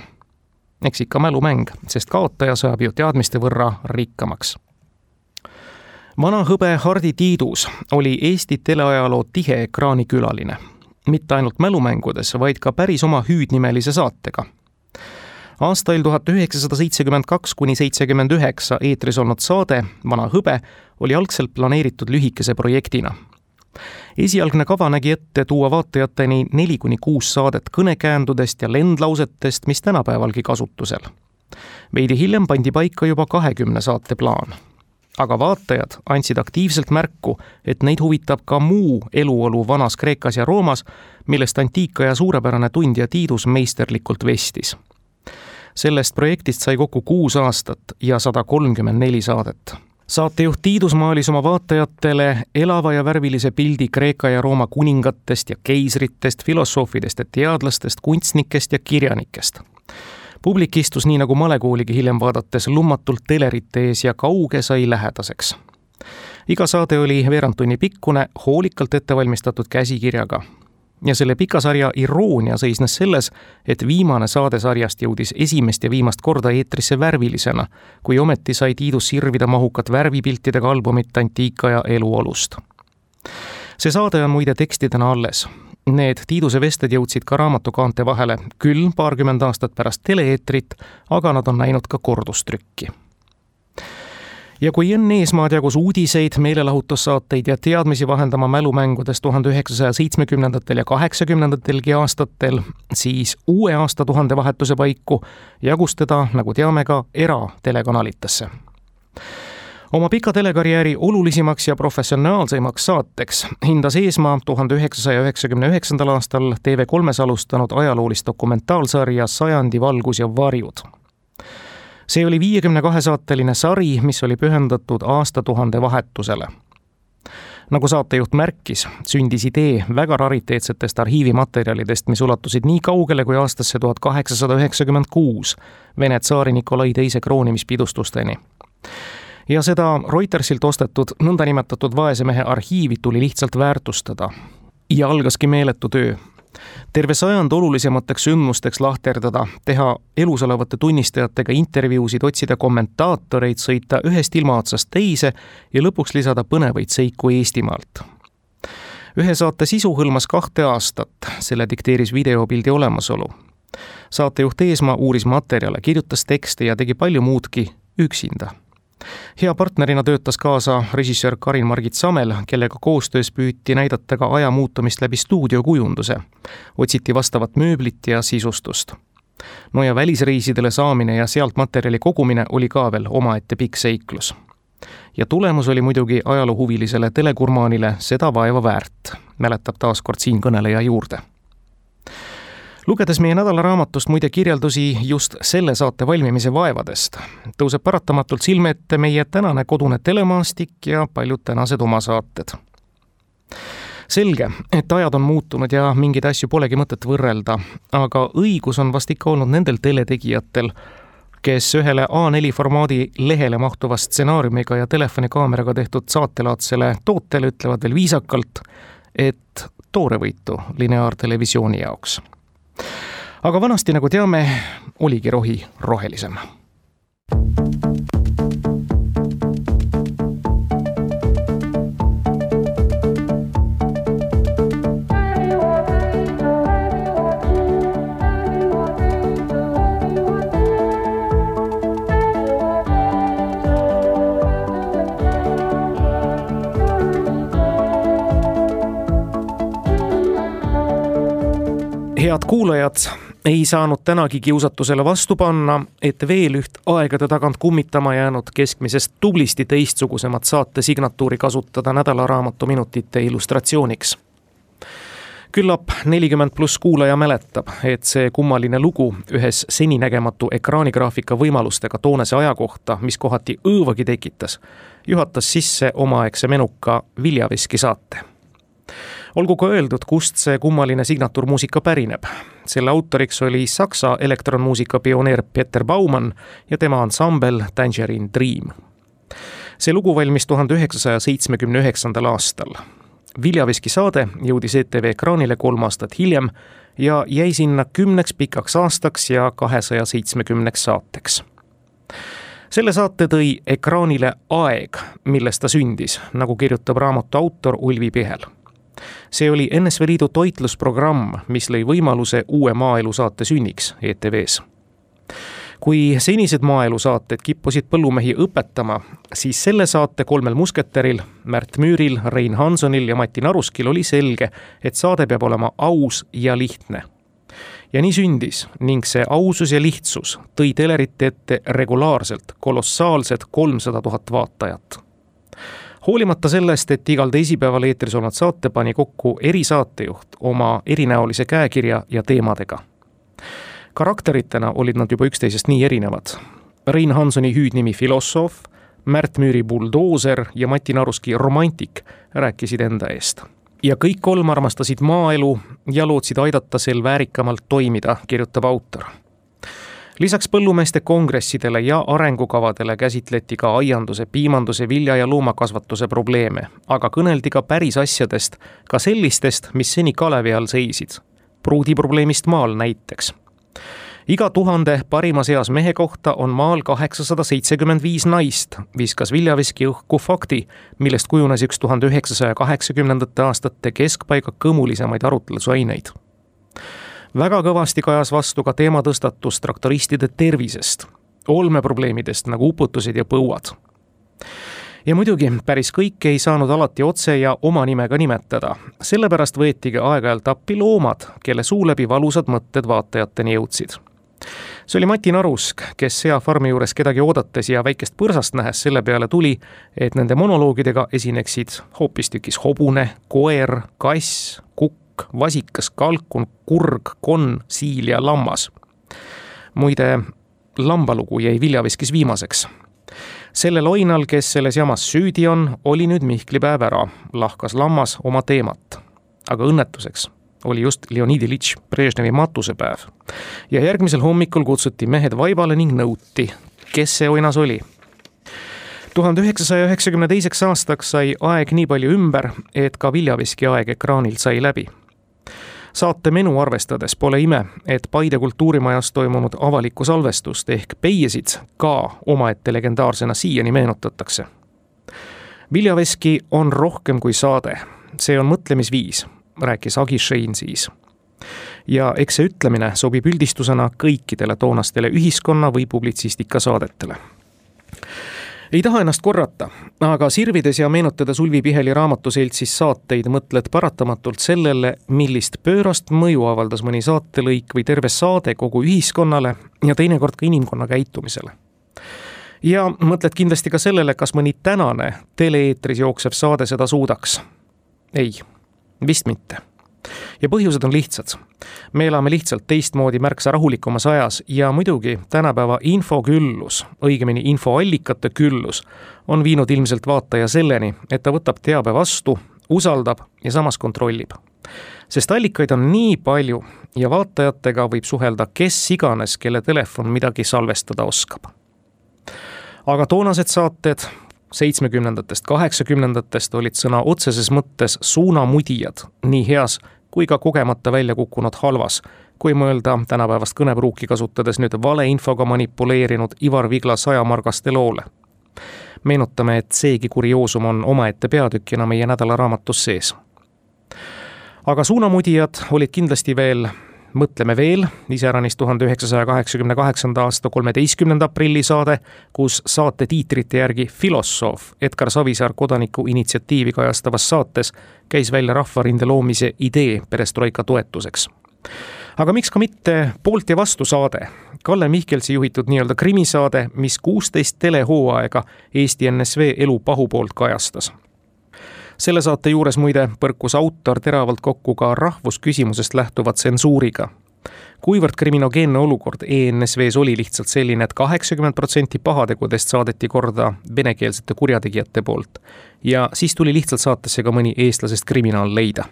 Eks ikka mälumäng, sest kaotaja saab ju teadmiste võrra rikkamaks. Vana hõbe Hardi Tiidus oli Eesti teleajaloo tihe ekraanikülaline. Mitte ainult mälumängudes, vaid ka päris oma hüüdnimelise saatega. Aastail 1972–79 eetris olnud saade Vana hõbe oli algselt planeeritud lühikese projektina. Esialgne kava nägi ette tuua vaatajateni 4-6 saadet kõnekäändudest ja lendlausetest, mis tänapäevalgi kasutusel. Veidi hiljem pandi paika juba 20 saate plaan. Aga vaatajad andsid aktiivselt märku, et neid huvitab ka muu eluolu vanas Kreekas ja Roomas, millest antiikaja suurepärane tundja Tiidus meisterlikult vestis. Sellest projektist sai kokku 6 aastat ja 134 saadet. Saatejuht Tiidus maalis oma vaatajatele elava ja värvilise pildi Kreeka ja Rooma kuningatest ja keisritest, filosoofidest ja teadlastest, kunstnikest ja kirjanikest. Publik istus nii nagu malekooligi hiljem vaadates lummatult telerite ees ja kauge sai lähedaseks. Iga saade oli veerand tunni pikkune, hoolikalt ettevalmistatud käsikirjaga. Ja selle pika sarja iroonia seisnes selles, et viimane saade sarjast jõudis esimest ja viimast korda eetrisse värvilisena, kui ometi sai Tiidus sirvida mahukat värvipiltidega albumit antiikaja eluolust. See saade on muide tekstidena alles. Need Tiiduse vested jõudsid ka raamatukaante vahele, küll 20 aastat pärast tele-eetrit, aga nad on näinud ka kordustrükki. Ja kui Enn Eesmaad jagus uudiseid, meelelahutussaateid ja teadmisi vahendama mälumängudes 1970. ja 80. aastatel, siis uue aastatuhande vahetuse paiku jagus teda, nagu teame, ka eratelekanalitesse. Oma pika telekarjääri olulisimaks ja professionaalseimaks saateks hindas Eesmaa 1999. aastal TV3-s alustanud ajaloolist dokumentaalsarja Sajandi valgus ja varjud. See oli 52-saateline sari, mis oli pühendatud aastatuhande vahetusele. Nagu saatejuht märkis, sündis idee väga rariteetsetest arhiivimaterjalidest, mis ulatusid nii kaugele kui aastasse 1896 Vene tsaari Nikolai II kroonimispidustusteni. Ja seda Reutersilt ostetud nõndanimetatud vaesemehe arhiivi tuli lihtsalt väärtustada. Ja algaski meeletu töö. Terve sajand olulisemateks sündmusteks lahterdada, teha elus olevate tunnistajatega intervjuusid, otsida kommentaatoreid, sõita ühest ilmaotsast teise ja lõpuks lisada põnevaid seiku Eestimaalt. Ühe saate sisu hõlmas 2 aastat, selle dikteeris videopildi olemasolu. Saatejuht Eesmaa uuris materjale, kirjutas tekste ja tegi palju muudki üksinda. Hea partnerina töötas kaasa režissöör Karin-Margit Samel, kellega koostöös püüti näidata ka aja muutumist läbi stuudiokujunduse. Otsiti vastavat mööblit ja sisustust. No ja välisreisidele saamine ja sealt materjali kogumine oli ka veel omaette pikk seiklus. Ja tulemus oli muidugi ajaloohuvilisele telekurmaanile seda vaeva väärt, mäletab taaskord siin kõneleja juurde. Lugedes meie nädalaraamatust muide kirjeldusi just selle saate valmimise vaevadest, tõuseb paratamatult silme ette meie tänane kodune telemaastik ja paljud tänased oma saated. Selge, et ajad on muutunud ja mingeid asju polegi mõtet võrrelda, aga õigus on vast ikka olnud nendel teletegijatel, kes ühele A4 formaadi lehele mahtuva stsenaariumiga ja telefonikaameraga tehtud saatelaadsele tootele ütlevad veel viisakalt, et toorevõitu lineaartelevisiooni jaoks. Aga vanasti, nagu teame, oligi rohi rohelisem. Head kuulajad, ei saanud tänagi kiusatusele vastu panna, et veel üht aegade tagant kummitama jäänud keskmisest tublisti teistsugusemat saate signatuuri kasutada nädalaraamatu minutite illustratsiooniks. Küllap 40+ kuulaja mäletab, et see kummaline lugu ühes seninägematu ekraanigraafika võimalustega toonese aja kohta, mis kohati õõvagi tekitas, juhatas sisse omaaegse menuka Viljaveski saate. Olgu ka öeldud, kust see kummaline signatuurmuusika pärineb. Selle autoriks oli Saksa elektronmuusika pioneer Peter Baumann ja tema ansambel Tangerine Dream. See lugu valmis 1979. aastal. Viljaveski saade jõudis ETV ekraanile 3 aastat hiljem ja jäi sinna 10 pikaks aastaks ja 270 saateks. Selle saate tõi ekraanile aeg, milles ta sündis, nagu kirjutab raamatu autor Ulvi Pihel. See oli NSV Liidu toitlusprogramm, mis lõi võimaluse uue maaelu saate sünniks ETV-s. Kui senised maaelu saated kippusid põllumehi õpetama, siis selle saate 3 musketäril, Märt Müüril, Rein Hansonil ja Mati Naruskil oli selge, et saade peab olema aus ja lihtne. Ja nii sündis ning see ausus ja lihtsus tõi telerite ette regulaarselt kolossaalsed 300 000 vaatajat. Hoolimata sellest, et igal teisipäeval eetris olnud saate pani kokku erisaatejuht oma erinäolise käekirja ja teemadega. Karakteritena olid nad juba üksteisest nii erinevad. Rein Hansoni hüüdnimi filosoof, Märt Müüri buldooser ja Mati Naruski romantik rääkisid enda eest. Ja kõik 3 armastasid maaelu ja lootsid aidata sel väärikamalt toimida, kirjutab autor. Lisaks põllumeeste kongressidele ja arengukavadele käsitleti ka aianduse, piimanduse, vilja- ja loomakasvatuse probleeme, aga kõneldi ka päris asjadest, ka sellistest, mis seni kalevi all seisid. Pruudiprobleemist maal näiteks. Iga 1000 parimas eas mehe kohta on maal 875 naist, viskas Viljaveski õhku fakti, millest kujunes üks 1980. aastate keskpaiga kõmulisemaid arutlusaineid. Väga kõvasti kajas vastu ka teematõstatus traktoristide tervisest, olmeprobleemidest nagu uputused ja põuad. Ja muidugi päris kõike ei saanud alati otse ja oma nimega nimetada, sellepärast võetigi aeg-ajalt appi loomad, kelle suu läbi valusad mõtted vaatajateni jõudsid. See oli Mati Narusk, kes seafarmi juures kedagi oodates ja väikest põrsast nähes selle peale tuli, et nende monoloogidega esineksid hoopistükkis hobune, koer, kass, kukk, vasikas, kalkun, kurg, konn, siil ja lammas. Muide, lambalugu jäi Viljaveskis viimaseks. Sellel oinal, kes selles jamas süüdi on, oli nüüd Mihklipäev ära, lahkas lammas oma teemat. Aga õnnetuseks oli just Leonid Ilitš Brežnevi matusepäev. Ja järgmisel hommikul kutsuti mehed vaibale ning nõuti, kes see oinas oli. 1992. aastaks sai aeg nii palju ümber, et ka Viljaveski aeg ekraanilt sai läbi. Saate menu arvestades pole ime, et Paide kultuurimajas toimunud avalikku salvestust ehk Peiesid ka omaette legendaarsena siiani meenutatakse. Viljaveski on rohkem kui saade. See on mõtlemisviis, rääkis Agi Šein siis. Ja eks see ütlemine sobib üldistusena kõikidele toonastele ühiskonna või publitsistika saadetele. Ei taha ennast korrata, aga sirvides ja meenutades Ulvi Piheli raamatuseltsis saateid mõtled paratamatult sellele, millist pöörast mõju avaldas mõni saatelõik või terve saade kogu ühiskonnale ja teinekord ka inimkonna käitumisele. Ja mõtled kindlasti ka sellele, kas mõni tänane tele-eetris jooksev saade seda suudaks. Ei, vist mitte. Ja põhjused on lihtsad. Me elame lihtsalt teistmoodi märksa rahulikumas ajas ja muidugi tänapäeva infoküllus, õigemini infoallikate küllus, on viinud ilmselt vaataja selleni, et ta võtab teabe vastu, usaldab ja samas kontrollib. Sest allikaid on nii palju ja vaatajatega võib suhelda kes iganes, kelle telefon midagi salvestada oskab. Aga toonased saated 70-ndatest, 80-ndatest olid sõna otseses mõttes suunamudijad, nii heas kui ka kogemata välja kukkunud halvas, kui mõelda tänapäevast kõnepruuki kasutades nüüd valeinfoga manipuleerinud Ivar Vigla 100 margaste loole. Meenutame, et seegi kurioosum on omaette peatükina meie nädalaraamatus sees. Aga suunamudijad olid kindlasti veel, mõtleme veel, iseäranis 1988. aasta 13. aprilli saade, kus saate tiitrite järgi filosoof Edgar Savisaar kodaniku initsiatiivi kajastavas saates käis välja rahvarinde loomise idee perestroika toetuseks. Aga miks ka mitte poolt ja vastu saade? Kalle Mihkelsi juhitud nii-öelda krimisaade, mis 16 telehooaega Eesti NSV elu pahupoolt kajastas. Selle saate juures muide põrkus autor teravalt kokku ka rahvusküsimusest lähtuva tsensuuriga. Kuivõrd kriminogeenne olukord ENSV-s oli lihtsalt selline, et 80% pahategudest saadeti korda venekeelsete kurjategijate poolt ja siis tuli lihtsalt saatesse ka mõni eestlasest kriminaal leida.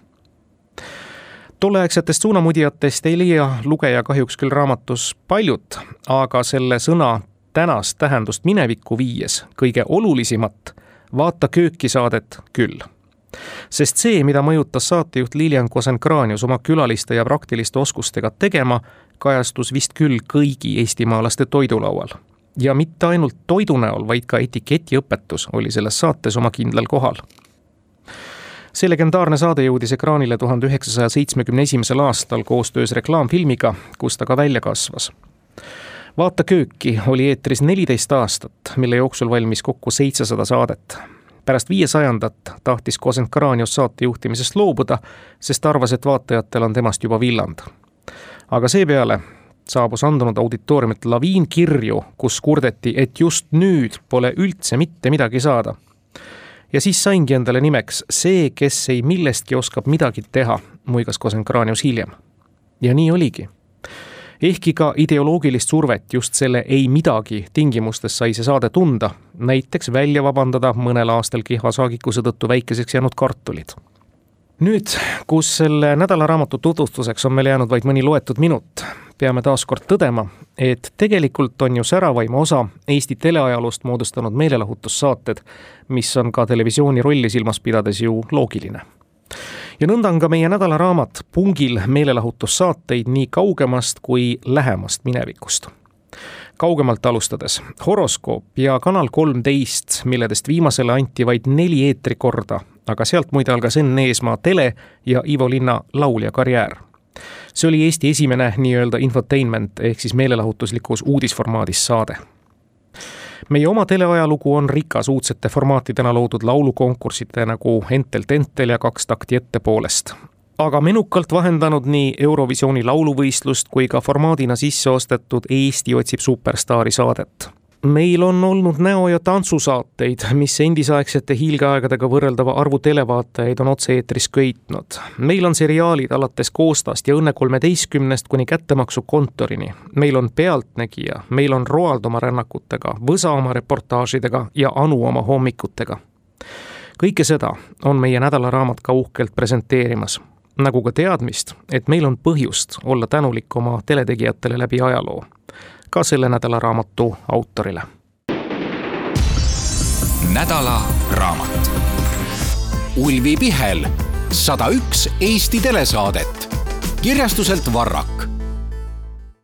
Tolleaegsetest suunamudijatest ei leia lugeja kahjuks küll raamatus paljut, aga selle sõna tänast tähendust minevikku viies kõige olulisemat Vaata kööki saadet küll. Sest see, mida mõjutas saatejuht Lilian Kosenkranius oma külaliste ja praktiliste oskustega tegema, kajastus vist küll kõigi eestimaalaste toidulaual. Ja mitte ainult toidu näol, vaid ka etiketiõpetus oli selles saates oma kindlal kohal. See legendaarne saade jõudis ekraanile 1971. aastal koostöös reklaamfilmiga, kus ta ka välja kasvas. Vaata kööki oli eetris 14 aastat, mille jooksul valmis kokku 700 saadet. Pärast 500 tahtis Kosenkranius saate juhtimisest loobuda, sest arvas, et vaatajatel on temast juba villand. Aga seepeale saabus andunud auditooriumilt laviin kirju, kus kurdeti, et just nüüd pole üldse mitte midagi saada. Ja siis saingi endale nimeks see, kes ei millestki oskab midagi teha, muigas Kosenkranius hiljem. Ja nii oligi. Ehkki ka ideoloogilist survet just selle ei midagi tingimustes sai see saade tunda, näiteks välja vabandada mõnel aastal kihva saagikuse tõttu väikeseks jäänud kartulid. Nüüd, kus selle nädalaraamatu tutvustuseks on meil jäänud vaid mõni loetud minut, peame taas kord tõdema, et tegelikult on ju säravaima osa Eesti teleajaloost moodustanud meelelahutussaated, mis on ka televisiooni rolli silmas pidades ju loogiline. Ja nõnda on ka meie nädalaraamat pungil meelelahutussaateid nii kaugemast kui lähemast minevikust. Kaugemalt alustades Horoskoop ja Kanal 13, milledest viimasele anti vaid 4 eetrikorda, aga sealt muide algas Enn Eesmaa tele ja Ivo Linna laulja karjäär. See oli Eesti esimene nii-öelda infotainment ehk siis meelelahutuslikus uudisformaadis saade. Meie oma teleajalugu on rikas uudsete formaatidena loodud laulukonkursite nagu Entelt Entel ja 2 takti ettepoolest. Aga menukalt vahendanud nii Eurovisiooni lauluvõistlust kui ka formaadina sisse ostetud Eesti otsib superstaari saadet. Meil on olnud näo- ja tantsusaateid, mis endisaegsete hiilgeaegadega võrreldava arvu televaatajaid on otse-eetris köitnud. Meil on seriaalid alates Koostast ja Õnne 13 kuni Kättemaksu kontorini. Meil on Pealtnägija, meil on Roald oma rännakutega, Võsa oma reportaažidega ja Anu oma hommikutega. Kõike seda on meie nädalaraamat ka uhkelt presenteerimas. Nagu ka teadmist, et meil on põhjust olla tänulik oma teletegijatele läbi ajaloo. Ka selle nädalaraamatu autorile. Nädalaraamat. Ulvi Pihel, 101 Eesti telesaadet. Kirjastuselt Varrak.